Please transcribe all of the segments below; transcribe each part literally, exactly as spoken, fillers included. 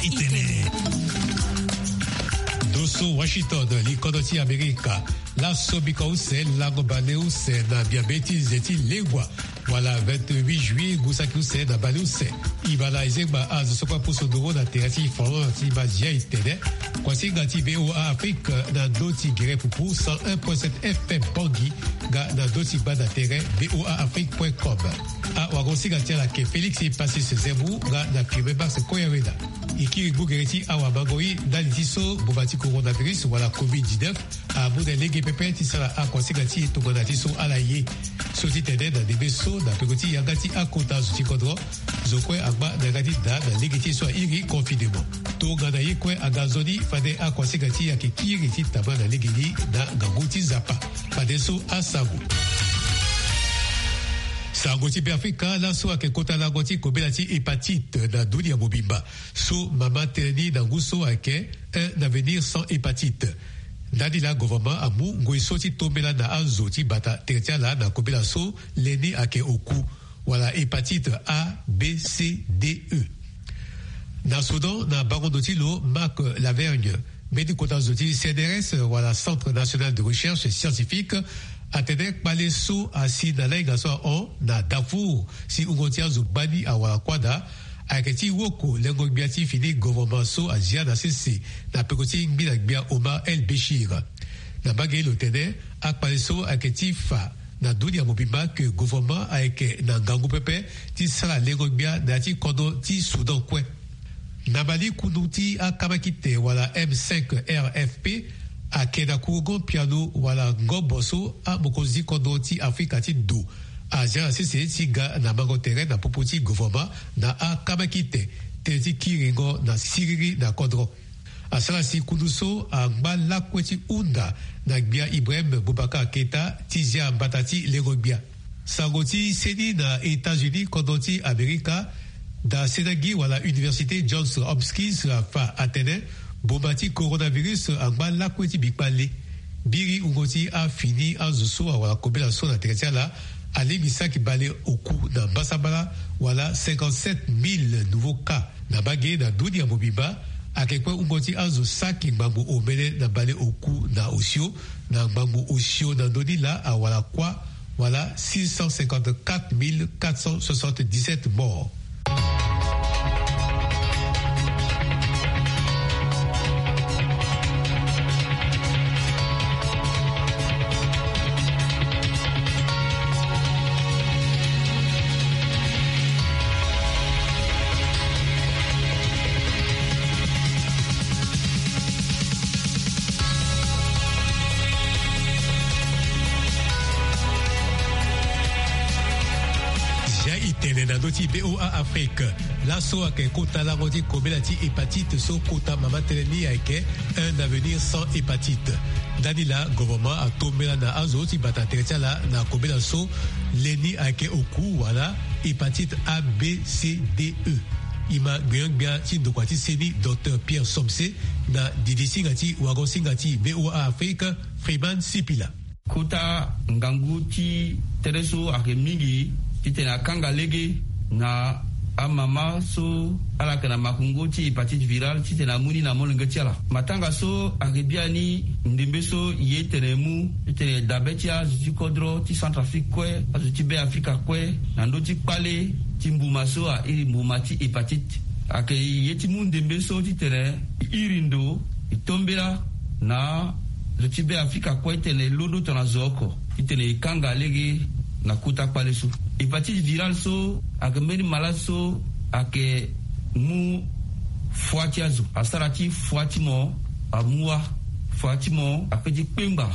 Itene. Doso Washington, li kodo ti Amerika. Laso bika use lango bale use na biabe ti nze ti lengua wala vingt-huit juillet, ngu saki use na bale use. Ibala ezengba azo so kue apusu nduru na tere ti foro ti mazia itene. Kuasinga ti VOA Afrique na ndo ti gere pupu cent un point sept F M Bangui, nga na ndo ti gbanda tere VOA Afrique point com. Awagosinga ti ala ke Félix Passis Zemou nga na firme Max Koyawena. E kiri gbu gere ti awa mango i ndali ti so mbuma ti coronavirus wala covid dix-neuf amu na lege pepe ti sara akuasinga ti e tongana ti so ala ye. So ti tene na ndembe so na peko ti yanga ti akota zo ti kodro, zo kue angba na yanga ti da na lege ti e so airi confinement. Tongana ye kue aga nzoni fade akuasinga ti e ayeke kiri ti tama na lege ni na ngangu ti Nzapa. Fadeso asango. Sango ti Beafrika, laso ayeke kota lango ti kobela ti hépatite na dunia mobimba. So mama tënë ni na ngu so ayeke un avenir sans hépatite. Ndani laa gouvernement amu ngoi so ti tombela na azo ti bata tere ti ala na kobela so le ni ayeke oku, wala hépatite A, B, C, D, E. Na Soudan, na bango ndo ti lo Marc Lavergne, mbeni kota zo ti C N R S wala Centre National de Recherche Scientifique, atene kpale so asi na lainga so ahon na Darfour si wungo ti azo gbani awara kuâ daa, ayeke ti woko lengo-gbia ti fini gouvernement so azia na sese na peko ti ngbina-gbia Omar El Béchir. Na mbage lo tene akpale so ayeke ti fa na dunia mobimba ke gouvernement ayeke na ngangu pepe ti sara lengo-gbia na ya ti kodro ti Soudan kue. Na Mali, kundu ti akamakite wala M cinq R F P ayeke na kurugo piano wala ngobo so amokonzi kodro ti Afrika ti do azia na sese ti ga na mango tere na popo ti gouvernement na akamakite tënë ti kiringo na siriri na kodro. Asara si kundu so angba lakue ti hunda na gbia Ibrahim Boubacar Keita ti zia mbata ti lengo-gbia. Sango ti seni na États-Unis, kodro ti Amerika, da senagi wala Université Johns Hopkins afa atene mbuma ti coronavirus angba lakue ti bikpale. Biri wungo ti afini azo so awara kobela so na tere ti ala alingbi saki bale oku na mbasambala wala cinquante-sept mille nouveaux cas. Na mbage na dunia mobimba, ayeke kue wungo ti azo saki ngbangbo omene na bale oku na osio, na ngbangbo osio na ndö ni laa awara kuâ, wala six cent cinquante-quatre mille quatre cent soixante-dix-sept morts. Zia itene na ndö ti VOA Afrique. Laso ayeke kota lango ti kobela ti hépatite so kota mama tënë ni ayeke un avenir sans hépatite. Ndani laa gouvernement atombela na azo ti bata tere ti ala na kobela so le ni ayeke oku wala hépatite A, B, C, D, E. E ma gbenyo-gbia ti ndokua ti seni, Docteur Pierre Somse, na didi singa ti wago singa ti VOA Afrique, Freeman Sipila. Kota ngangu ti tere so ayeke mingi titene akanga lege na amama so ala yeke na makungo ti hépatite virale titene amu ni na molenge ti ala. Matanga so ayeke biani ndembe so e ye tene e mu titene dabe ti azo ti kodro ti Centrafrique kue, azo ti Beafrika kue, na ndö ti kpale ti mbuma so airi mbuma ti hépatite. Ayeke ye ti mu ndembe so titene e iri ndo, e tombela na zo ti Beafrika kue titene e londo tongana zo oko titene e kanga lege na kota kpale so. Hépatite virale so ayeke mbeni malade so ayeke mu foi ti azo, asara ti foi ti mo amu wâ, foi ti mo ape ti kpengba,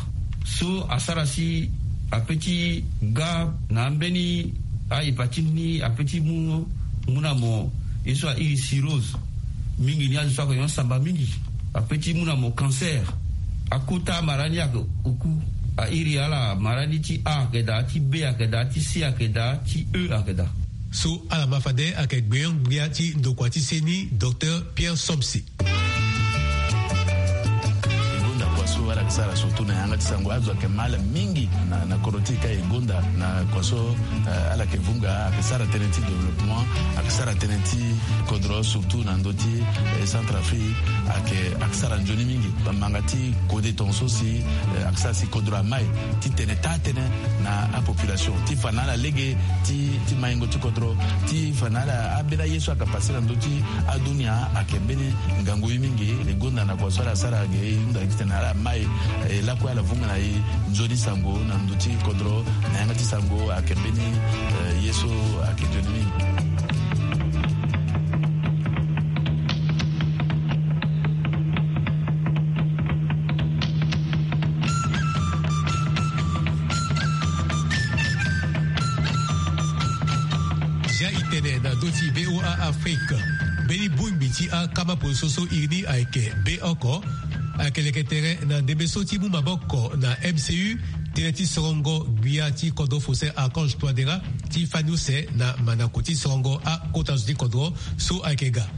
so asara si ape ti ga na ambeni ahépatite ni ape ti mu, mu na mo ye so airi cirrhose. Mingi ni azo so ayeke nyon samba mingi, ape ti mu na mo cancer. Akota mara ni ayeke oku, airi ala mara ni ti A ayeke daa, ti B ayeke daa, ti C ayeke daa, ti E ayeke daa. So ala ma fade ayeke gbenyo-gbia ti ndokua ti seni, Docteur Pierre Somse. Ala yeke sara surtout na yanga ti sango azo ayeke ma ala mingi na, na kodro ti e ka e gonda na kua so, eh, ala yeke vunga ayeke sara tënë ti développement, ayeke sara tënë ti kodro surtout na ndö ti, eh, Centrafrique ayeke, ayeke sara nzoni mingi. Bamanga ti kode tongaso si, eh, ayeke sara si kodro amai ti tene taa tënë na apopulation ti fa na ala lege ti, ti maingo ti kodro ti fa na ala ambeni aye so ayeke pase na ndö ti adunia ayeke mbeni ngangu ye mingi. E gonda na kua so ala sara ge e hunda titene ala mai, eh, lakue ala vunga na e nzoni sango na ndö ti kodro na yanga ti sango ayeke mbeni, eh, ye so ayeke nzoni mingi. Zia e tene na ndö ti VOA Afrique. Mbeni bongbi ti akama poroso so iri ni ayeke be oko ayeke leke tere na ndembe so ti mu maboko na M C U, tënë ti sorongo gbia ti kodro Faustin Archange Touadéra ti fani use na mandako ti sorongo akota zo ti kodro so ayeke ga.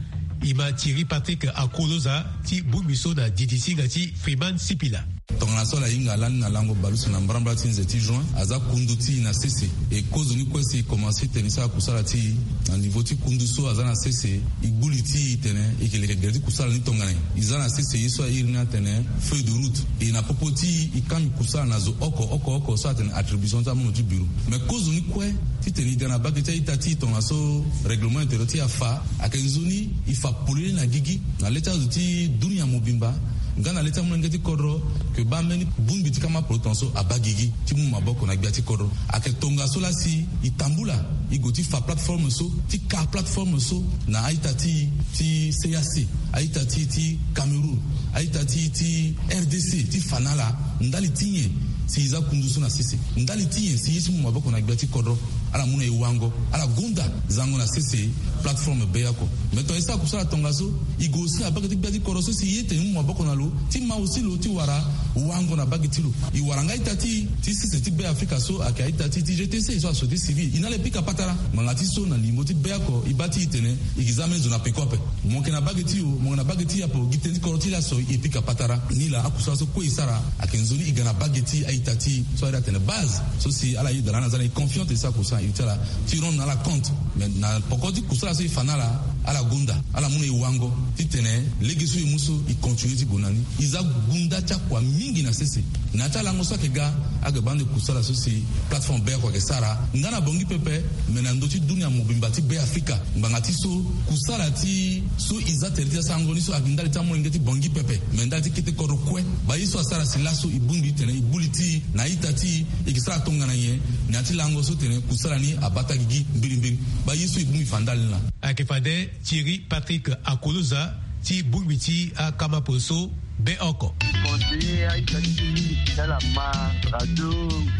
E ma Thierry Patrick Akoloza ti bongbi so na didi ti hinga ti Freeman Sipila. Tongana so ala hinga lani na lango bale use na mbrambra ti nze ti juin, aza kundu ti e na sese. E kozoni kue si e komanse tene e sara kusala ti e na niveau ti kundu so aza na sese. E gbu li ti e tene e yeke leke gere ti kusala ni tongana nyen. E za na sese ye so a iri ni atene feuille de route. E na popo ti e e kangbi kusala na zo oko oko oko so atene attribution ti amono ti bureau. Me kozoni kue titene e ga na bage ti a-ita ti e tongana so règlement intérieur ti e afa, ayeke nzoni e fa polele na gigi na le ti azo ti dunia mobimba nga na le ti amolenge ti kodro, ke baa mbeni bongbi ti kama poroso tongaso abaa gigi ti mu maboko na gbia ti kodro. Ayeke tongaso laa si e tambula e gue ti fa plateforme so, ti ka plateforme so na a-ita ti e ti C E E A C, a-ita ti e ti Cameroun, a-ita ti e ti R D C, ti fa na ala ndali ti nyen si e za kundu so na sese, ndali ti nyen si e ye ti mu maboko na gbia ti kodro. Ala mu na e wango, ala gonda zango na sese plateforme be oko. Me tonga e sara kusala tongaso, e gue aussi na bage ti gbia ti kodro so si e ye tene e mu maboko na lo ti ma aussi lo ti wara wango na bage ti lo. E wara nga a-ita ti e ti sese ti Be Afrika so ayeke a-ita ti e ti G T C so a société civile, e na ala e pika patara. Ngbanga ti so na limo ti be oko e baa ti e tene e gi za ambeni zo na peko ape. Mo yeke na bage ti e o, mo yeke na bage ti e ape o, gi tënë ti kodro ti laso e pika patara. Nilaa akusala so kue e sara ayeke nzoni e ga na bage ti a-ita ti e so a iri atene base so si ala yeda lani aza na e confiant e sara kusala na iri ti ala ti rendre na ala compte. Me na poko ti kusala so e fa na ala, ala gonda, ala mu na e wango titene lege so e mu so e continue ti gue na ni. E za gunda ti akua mingi na sese. Na ya ti alango so ayeke ga, ayeke baa ande kusala so si plateforme be oko ayeke sara nga na Bangui pepe, me na ndö ti dunia mobimba ti Be Afrika. Ngbanga ti so kusala ti so e za tere ti asango ni so ayeke ndali ti amolenge ti Bangui pepe, me ndali ti kete kodro kue. Baa ye so asara si laso e bongbi titene e gbu li ti e na a-ita ti e, e yeke sara tongana nyen na ya ti lango so tene kusala ni abata gigi mbirimbiri. Baa ye so e bongbi fa ndali ni laa. Ayeke fade Thierry Patrick Akoloza ti bongbi ti akama poroso be oko. Conseiller a-ita ti e ti ala ma radio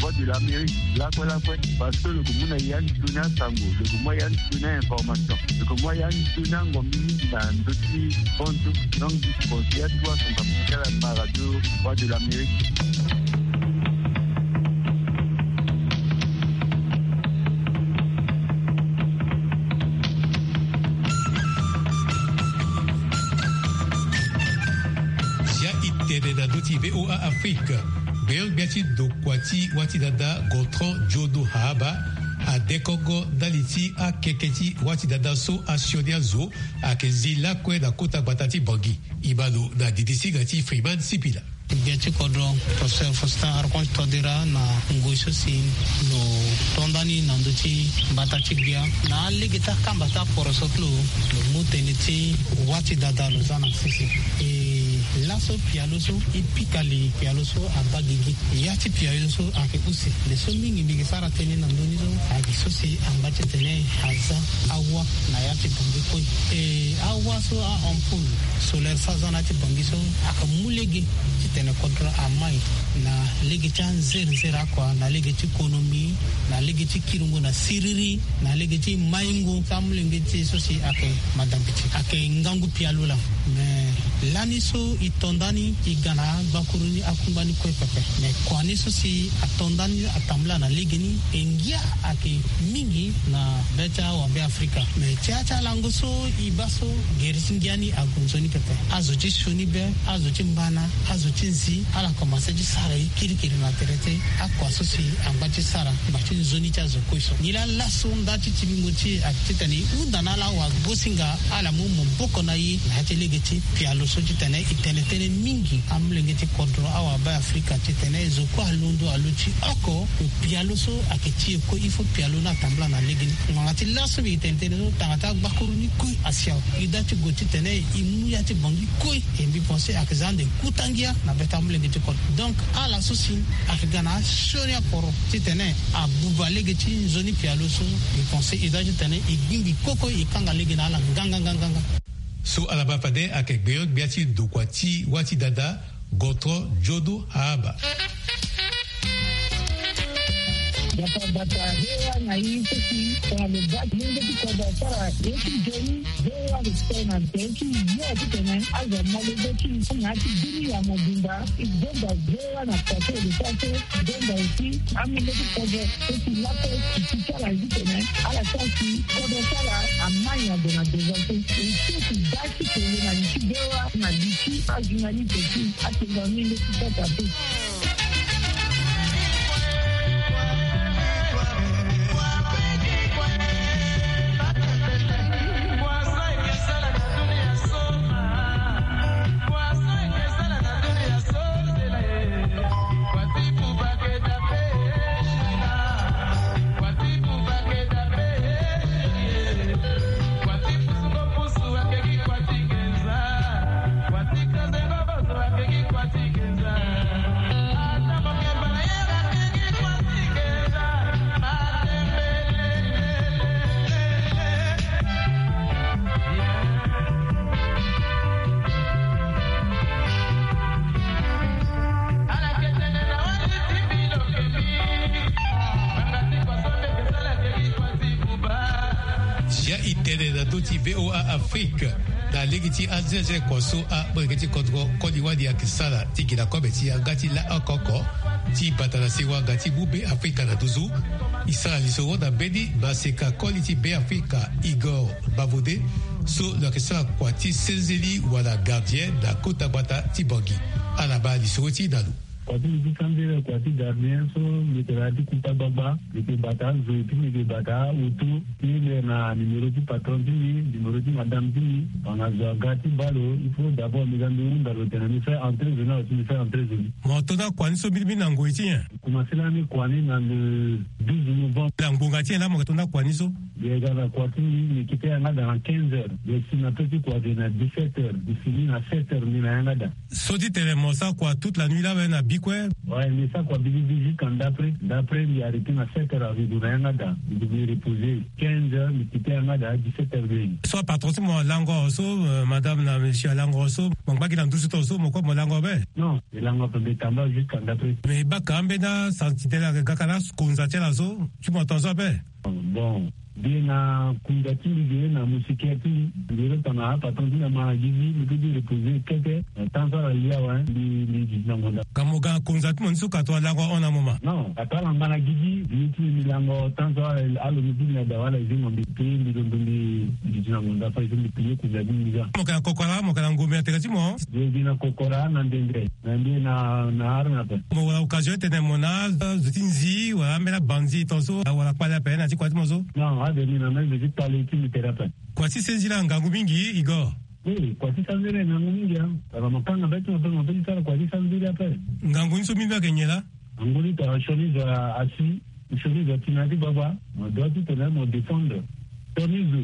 Voix de l'Amérique lakue lakue, parce que lo yeke mu na e ya nzoni asango, lo yeke mu na e ya nzoni a-information, lo yeke mu na e ya nzoni angombi mingi na ndö ti fonds so. Donc conseiller atuwa son papa ti ala ma radio Voix de l'Amérique. Zia e tene na ndö ti VOA Afrique. Gbenyo-gbia ti ndokua ti wâ ti dada Gontran Djono Haaba adekongo ndali ti akeke ti wâ ti dada so asioni azo ayeke zi lakue na kota gbata ti Bangui. E ma lo na didi ti hinga ti Freeman Sipila. Gbia ti kodro, Professeur Faustin Archange Touadéra, na ngoi so si lo to nda ni na ndö ti mbata ti gbia na alege ti akamba ti aporoso ti lo, lo mu tënë ti wâ ti dada lo za na sese. E laso pialo so e pika li, pialo so abaa gigi. Ya ti pialo so ayeke use. Nde so mingi mbi yeke sara tënë na ndö ni so ayeke so si amba ti tene aza awâ na ya ti Bangui kue. E awâ so, a-ampoule solaire so aza na ya ti Bangui so ayeke mu lege titene kodro amai na lege ti anzere nzere akua, na lege ti konomi, na lege ti kiringo na siriri, na lege ti maingo ti amolenge ti e so si ayeke madambiti. Ayeke ngangu pialo laa. Me Lani so e to nda ni e ga na agbakuru ni akungba ni kue pepe. Me kua ni so si ato nda ni atambula na legeni e ngia ayeke mingi na be ti awabe afrika. Me ti ya ti alango so e baa so gere ti ngia ni ague nzoni pepe. Azo ti sioni be, azo ti mbana, azo ti nzi, ala komanse ti sara e kirikiri na tere ti akua so si angba ti sara ngba ti nzoni ti azo kue so. Nilaa laso nda ti timbingo ti e ayeke titene e hunda na ala awagosinga ala mu maboko na e na ya ti lege ti pialo so titene e tene tënë mingi amolenge ti kodro awabe afrika titene zo kue alondo alo ti oko. Pialo so ayeke ti e kue il faut pialo ni atambula na lege ni. Ngbanga ti laso mbi tene tënë so tanga ti agbakuru ni kue asi awe. E da ti gue titene e mu ya ti bongi kue. E mbi pense ayeke za ande kuta ngia na be ti amolenge ti kodro. Donc ala so si ayeke ga na asioni aporo titene abuba lege ti nzoni pialo so. Mbi pense e da titene e gbingbi koko e kanga lege na ala nganganganganga. So ala baa fade ayeke gbenyo-gbia ti ndokua ti wâ ti dada Gontran Jodo Ahaba. Bata bata, hewa na i seki tongana lo baa ti lenge ti kodro asara ye ti nzoni. Hewa respect na nze ti yo titene azo amolenge ti na ya ti dunia mobimba. E zonza hewa na kua so e lo sara so e zonza aussi amolenge ti kodro so si laso e ti ti ti ala titene ala sara si kodro ti ala amai na gue na devant so. E so e ti baa ti kele na li ti hewa na li ti ajournaliste ti atenga mingi ti sasa te. Ya e tene na ndö ti V O A Afrique. Na lege ti azeaze kua so amolenge ti kodro koli wali ayeke sara ti gi na kobe ti yanga ti la oko oko ti bata na sewa nga ti mu Be Afrika na nduzu. E sara lisoro na mbeni maseka koli ti Be Afrika Igor Bavode so lo yeke sara kua ti senzeli wala gardien na kota gbata ti Bangui. Ala baa lisoro ti e na lo. Kua ti mbi ti sambela kua ti gardien so mbi yeke na ya ti kuta gbagba. Mbi yeke bata azo et puis mbi yeke bata auto ti mbi na numéro ti patron ti mbi, numéro ti madame ti mbi. Tongana zo aga ti baa lo, il faut d'abord mbi ga mbi hunda lo tene mbi fait entrer zo ni awe si mbi fait entrer zo ni. Mo to nda kua ni so mbirimbiri na ngoi ti nyen? Mbi komanse lani kua ni na le douze novembre. Na ngbonga ti nyen laa mo yeke to nda kua ni so? Mbi yeke ga na kua ti mbi, mbi kite yanga daa na quinze heures. Mbi si na to ti kua ge na dix-sept heures. Mbi fini na sept heures mbi na yanga daa. So ti tene mo sara kua toute la nuit laa awe na bi kue? Ouais, mbi sara kua biribi jusqu'à ndapre. Ndapre mbi arrêté na sept heures azo gue na yanga daa. Mbi gue mbi reposer. Quinze heures mbi kite yanga daa, dix-sept heures mbi. So apatron ti mo alango so, euh, madame na monsieur alango so, mo ngba gi na nduzu tongaso, mo kue mo lango ape? Non, mbi lango ape, mbi tambula jusqu'à ndapre. Mais e baka ambeni asantidele ayeke ga ka na akonza ti ala so ti mo tongaso ape? Bon, mbi na konza ti mbi ge na moustiquaire ti mbi. Mbi lo tongana apatron ti mbi ama na gi ti mbi, mbi peut ti reposer keke. Temps so ala li awe, mbi, mbi duti na ngonda. Ka mo ga na konza ti mo ni so ka tongana lango ahon na mo ma? Non, ka tongana ala ngba na gi ti mbi, mbi ti mbi, mbi lango temps so ala, alondo ti mbi na daa wala e zingo mbi, pe mbi londo mbi duti na ngonda fade so mbi plie konza ti mbi ga. Mo yeke na kokora, mo yeke na ngombe na tere ti mo? Mbi, mbi na kokora na ndendre. Na mbi na, na arme ape. Mo wara occasion ti tene mo na azo ti nzi wala ambeni abanzi tongaso, wala kpale ape na ya ti kua ti mo so? Non, ade mbi na mbeni zo ti kpale ti mbi tere ape. Kua ti senziri angangu mingi, Igor. Oui, kua ti senziri angangu mingi, hein. Tongana mo kanga be ti mo ape, mo peut ti sara kua ti senziri ape. Ngangu ni so mingi ayeke nyen laa? Ngangu ni tongana sioni zo asi, sioni zo ati na ya ti gbagba, mo doit ti tene mo défendre. Sioni zo,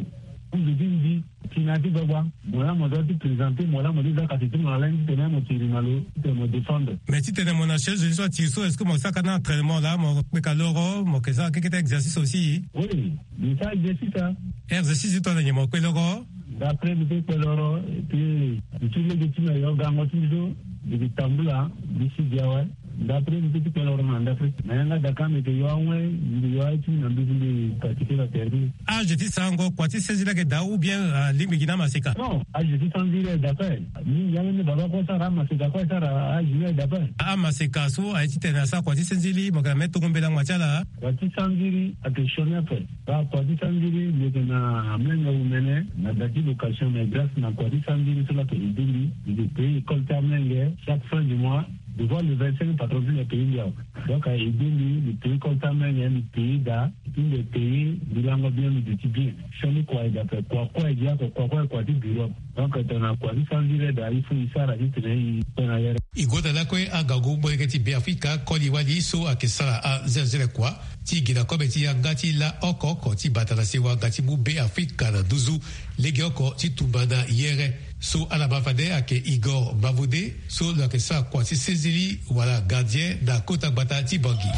zo ti nzi, ti na ya ti gbagba, mo laa mo doit ti présenter, mo laa mo ti za kati ti mo na lain ti tene mo tiri na lo, ti tene mo défendre. Mais ti tene mo na sioni zo ni so atiri so, est-ce que mo sara ka na entraînement laa, mo kpeka loro, mo yeke sara keke ti exercice aussi? Oui, mbi sara exercice, hein. Exercice ti tongana nyen mo kpe loro? D'après mbi peut kpe loro, et puis mbi ti lege ti mbi ayo gango ti mbi so, mbi yeke tambula, mbi si gi awe. Ndapre mbi pe ti kpela oro na ndapre na yanga daka mbi yeke yo awe. Mbi yo aye ti mbi na nduzu mbi pratique la terre. Age ti sarango kua ti sezi laa ayeke daa ou bien alingbi gi na amaseka? Non, age ti sanziri aye daa ape. Mingi ambeni baba kue asara amaseka kue asara age ni aye daa ape. Amaseka so aye titene asara kua ti senzili mo yeke na me tongo mbela ngua ti ala. Kua ti sanziri ayeke sioni ape. Baa kua ti sanziri mbi yeke na amolenge omene na da ti location mais grâce na kua ti sanziri so laa ayeke aidé mbi. Mbi yeke payer école ti amolenge chaque fin du mois. Devoir le vingt-cinq patron ti mbi apayer mbi awe. Donc aidé mbi, mbi payer école ti amolenge, mbi payer da. Ti mbi payer mbi lango bien, mbi duti bien. Sioni kua aye daa ape. Kua kue aye gi oko, kua kue aye kua ti bureau. Donc tongana kua ti sanziri aye daa il faut e sara titene e kpe na yere. E gonda lakue angangu molenge ti Beafrika koli wali so ayeke sara azelezele kua ti gi na kobe ti yanga ti la oko oko ti bata na sewa nga ti mu Beafrika na nduzu legeoko ti tumba na yere. So ala ma fade ayeke Igor Mavode so lo yeke sara kua ti sezili wala gardien na kota gbata ti Bangui.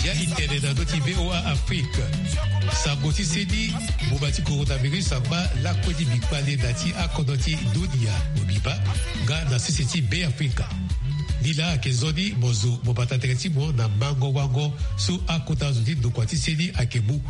Bia e tene na ndö ti V O A Afrique. Sango ti seni, mbuma ti coronavirus angba lakue ti mbi kpale na ti akodro ti dunia mobimba nga na sese ti Beafrika. Ni laa ayeke nzoni mo zo mo bata tere ti mo na mango wango so akota zo ti ndokua ti seni ayeke mu.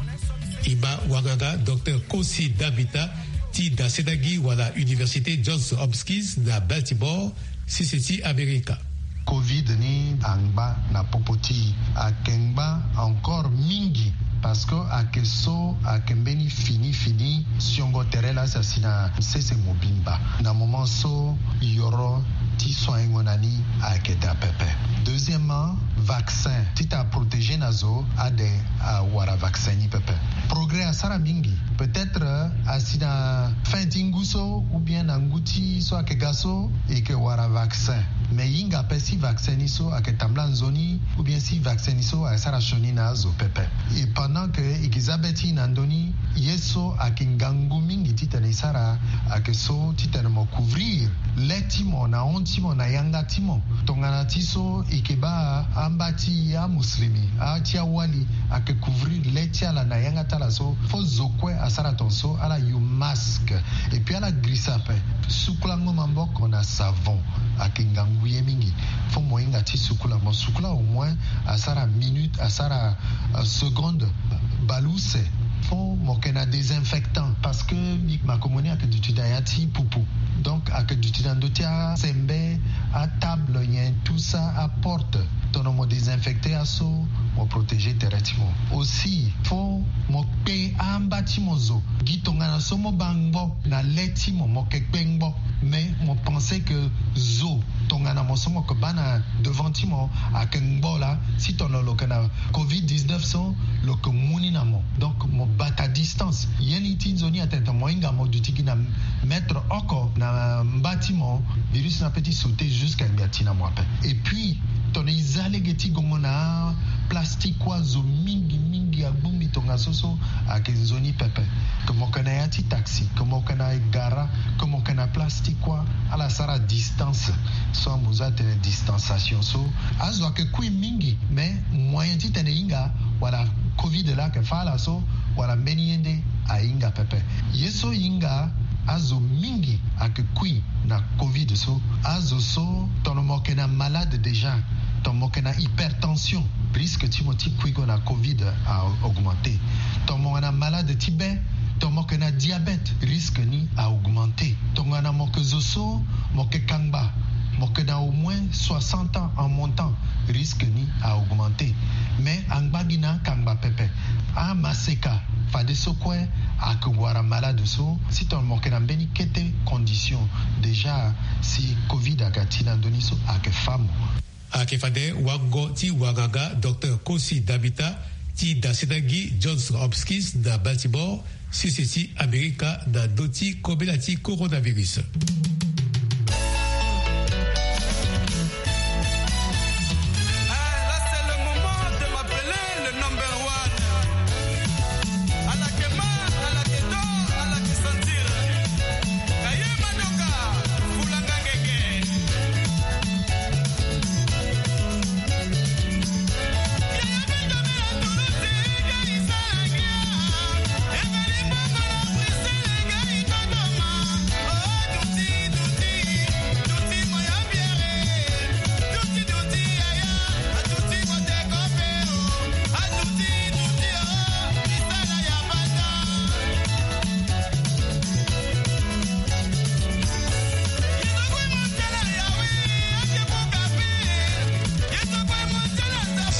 E ma wanganga Docteur Kosi Dambita ti dasendangi wala Université Johns Hopkins na Baltimore, sese ti Amerika. Covid ni angba na popo ti ayeke ngba encore mingi, parce que ayeke so ayeke mbeni fini fini siongo tere laa si asi na sese mobimba. Na moment so yoro ti soingo na ni ayeke daa pepe. Deuxièmement, vaccin ti ta protéger na zo ade awara vaccin ni pepe. Progrès asara mingi. Peut-être asi na fin ti ngu so ou bien na ngu ti so ayeke ga so e yeke wara vaccin. Mais e hinga ape si vaccin ni so ayeke tambula nzoni ou bien si vaccin ni so ayeke sara sioni na azo pepe. Et pendant que e yeke za be ti e na ndö ni, ye so ayeke ngangu mingi titene e sara ayeke so titene mo couvrir le ti mo na hon ti mo na yanga ti mo. Tongana ti so e yeke baa amba ti amuslimi, a ti awali ayeke couvrir le ti ala na yanga ti ala so. Fo zo kue asara tongaso, ala yu masque. Et puis ala girisa ape. Sukulango maboko na savon ayeke ngangu ye mingi. Fo mo hinga ti sukula, mo sukula au moins asara minute, asara euh, seconde baleuse. Fo mo yeke na désinfectant, parce que mbi ma ko moni ayeke duti na ya ti pupu. Donc ayeke duti na ndö ti asembe, atable nyen, tout ça, aporte. Tongana mo désinfecter aso, mo protéger tere ti mo. Aussi fo mo kpe amba ti mo zo. Gi tongana so mo baa ngbo na le ti mo, mo yeke kpe ngbo. Mais mo pense que zo tongana mo so mo yeke baa na devant ti mo ayeke ngbo laa, si tongana lo yeke na covid dix-neuf so, lo yeke mu ni na mo. Donc mo bata distance. Ye ni ti nzoni atene tongana mo hinga mo duti gi na mètre oko na mba ti mo, virus ni ape ti sauter jusqu'à ngbia ti na mo ape. Et puis tongana e za lege ti gongo na aplastique kue, azo mingi mingi agbongbi tongaso so ayeke nzoni pepe. Ke mo yeke na ya ti taxi, ke mo yeke na gara, ke mo yeke na plastique kue, ala sara distance. So amuzu atene distanciation so, azo ayeke kui mingi, mais moyen titene e hinga wala covid laa ayeke fâ ala so, wala mbeni ye nde ahinga pepe. Ye so e hinga Azo mingi ayeke kui na covid so. Azo so tongana mo yeke na malade déjà, tongana mo yeke na hypertension, risque ti mo ti kuigo na covid a augmenter. Tongana mo yeke na malade ti be, tongana mo yeke na diabète, risque ni a augmenter. Tongana mo yeke zo so mo yeke kangba, mo yeke na au moins soixante ans en montant, risque ni a augmenter. Mais angba gi na akangba pepe, amaseka, fadeso kue ayeke wara malade so. Si tongana mo yeke na mbeni kete condition déjà, si covid aga ti na ndö ni so, ayeke fa mo. Ayeke fade wango ti wanganga docteur Kosi Dabita ti dasindangi Johns Hopkins na Baltimore, sese ti Amerika, na ndö ti kobela ti coronavirus.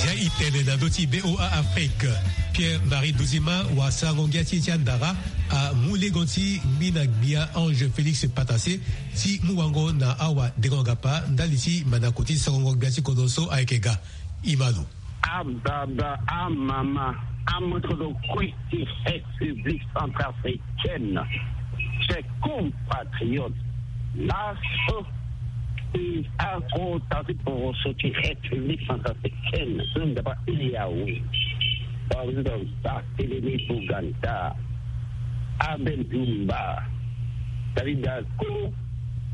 Zia i tene na ndö ti B O A Afrique, Pierre Marie Duzima, wasango ngia ti ye ti andara, amu lengo ti ngbina gbia Ange Félix Patassé ti mu wango na awadengo-ngapa ndali ti mandako ti songongo gbia ti kodro so ayeke ga. Imalo. Ababa, amama, amotodo kue ti République centrafricaine. Chers compatriotes, laso e akota ti poroso ti République centrafricaine so nzapa e awe. Président Barthélemy Boganda, Abel Dumba, David Dako,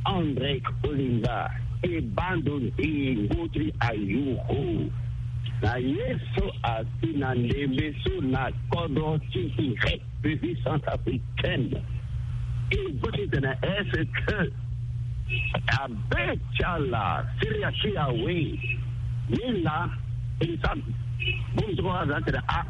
André Kolimba, e bando nde ngu ti ayuku na ye so asi na ndembe so na kodro ti République centrafricaine. E bâ ti tene est-ce que abe ti ala siri asi awe? Ni laa e sa bongbi ti kua aza atene a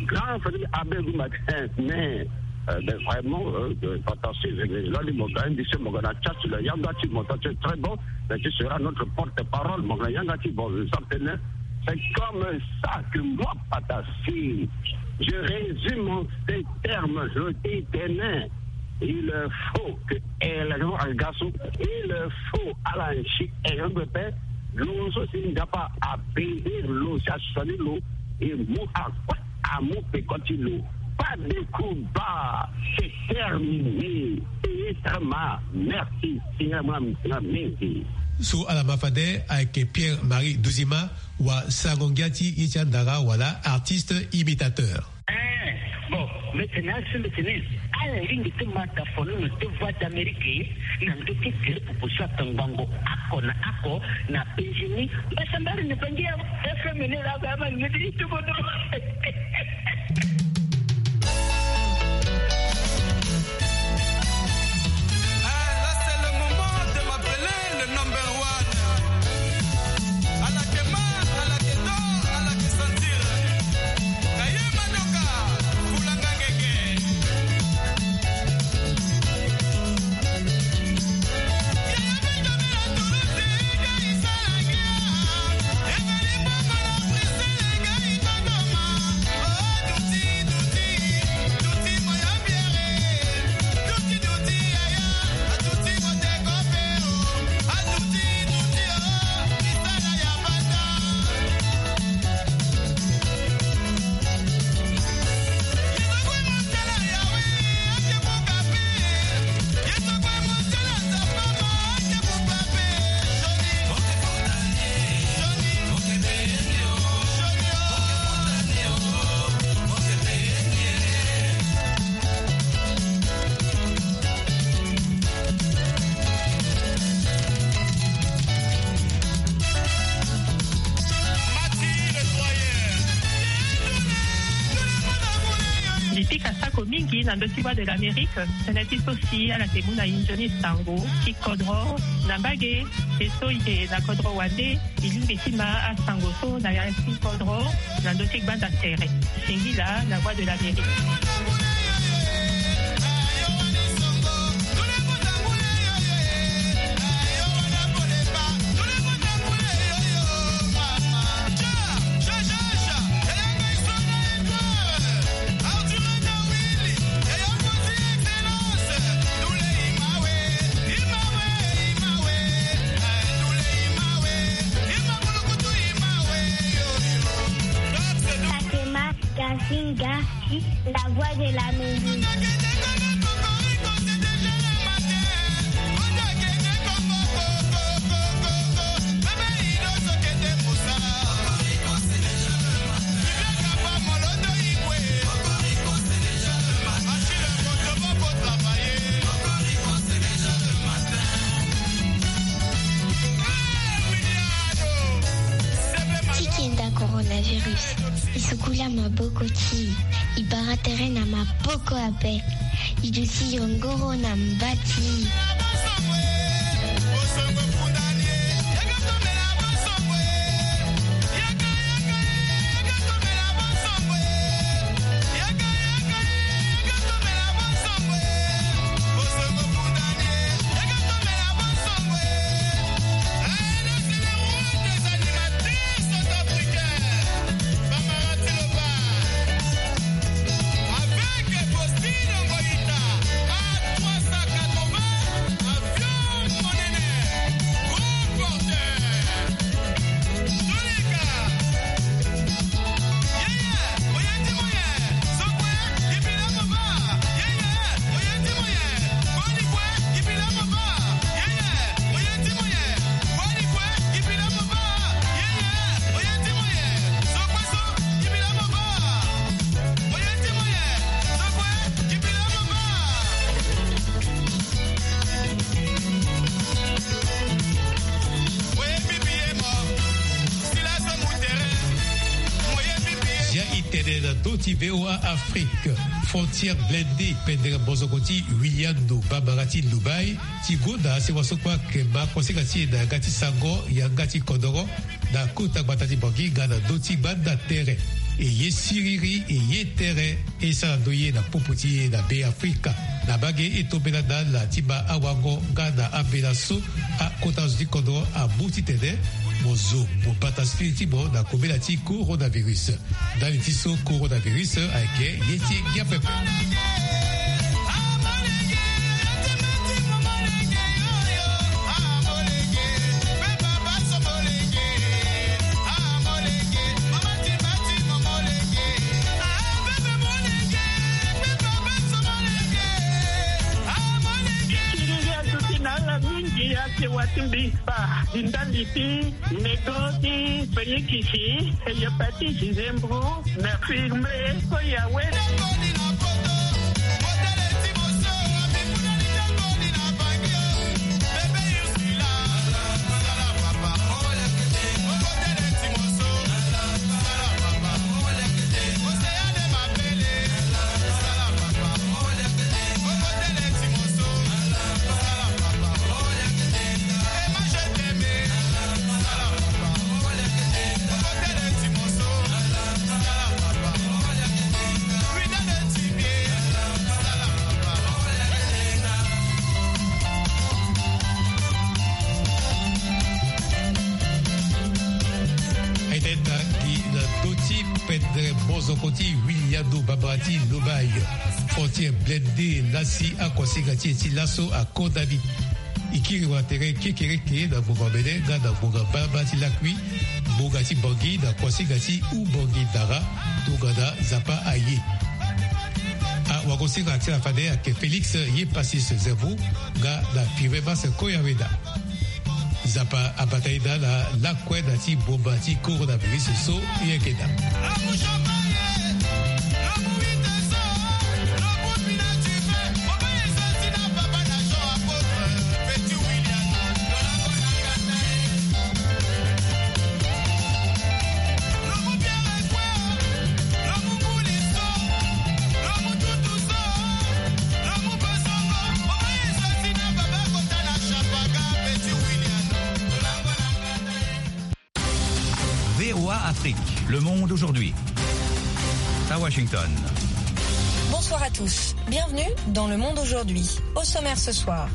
grand frère ti abe gumba ti mais euh, ben, vraiment euh, euh, fantastique. Là ni mo ga indi se mo ga na chat la yanga ti mo ta c'est très bon. Mais tu seras notre porte-parole, mo ga na yanga ti bon, je sens tene. C'est comme ça que moi, Patassé, je résume en ces termes, je dis tene. Il faut que élection agaso, il faut ala nsi élection pepe. Lo so si nzapa apaiser lo si asani lo e mu akue amu peko ti lo. Pas de combat, c'est terminé. Payé sama, merci. Singa mwa msinga mingi. So ala ma fade ayeke Pierre Marie Duzima, wasango ngia ti ye ti andara wala artiste imitateur. Eh, bon, mbi tene asi mbi tene ala lingbi ti ma tafono na te Voix d'Amérique na ndö ti gere pupu so atangbango ako na ako na Benjini. Mbasambari ni bangi ya F M ni la ba ma ni ti tuko tuko. Ko mingi na ndö ti Voix de l'Amérique, tënë ti so si ala yeke mu na e nzoni sango ti kodro na mbage. E so e yeke na kodro wande, e lingbi ti ma asango so na ya ti kodro na ndö ti gbanda tere. Singila na Voix de l'Amérique. Fatima Kassinga, la voix de la musique. Ti kenda coronavirus, e sukula maboko ti e, e bara tere na maboko ape, e duti yongoro na mba ti e. Zia e tene na ndö ti V O A Afrique. Frontière blindée pendere mozoko ti Wiliando, bambara ti Lubai, ti gonda si waso kue ayeke ma konsinga ti e na yanga ti sango, yanga ti kodoro, na kota gbata ti Bangui nga na ndö ti gbanda tere. E ye siriri, e ye tere, e sara ndoye na popo ti e na Be Afrika. Na mbage e tombela na ala ti ma awango nga na ambela so akota zo ti kodro amu titene mo zo mo bata siriri ti mo na kobela ti coronavirus. Ndali ti so coronavirus ayeke ye ti ngia pepe. Siriri aduti na ala mingi, asewa ti mbi kpa. Di ndali ti nego ti penikisi, hepatite, zembro, na firme, so ya wele. Aita ita gi na ndö ti pendere mozoko ti Wiliando, bambara ti Lubai. Frontière blindée lasi akonsinga ti e ti laso akonda ni. E kiri wa tere kekereke na ngonga mene nga na ngonga mbalambala ti lakui, ngonga ti Bangui na konsinga ti Oubangui Dara, tongana Nzapa aye. Awagosinga ti ala fade ayeke Félix Yepasis Zerbo nga na Firme Mas Koyaweda. Nzapa abata e daa na lakue na ti mboma ti coronavirus so e yeke daa. Afrique, Le Monde aujourd'hui. À Washington. Bonsoir à tous. Bienvenue dans Le Monde aujourd'hui. Au sommaire ce soir.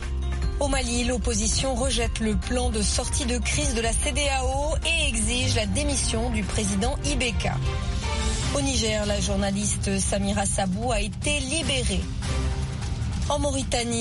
Au Mali, l'opposition rejette le plan de sortie de crise de la C D A O et exige la démission du président I B K. Au Niger, la journaliste Samira Sabou a été libérée. En Mauritanie,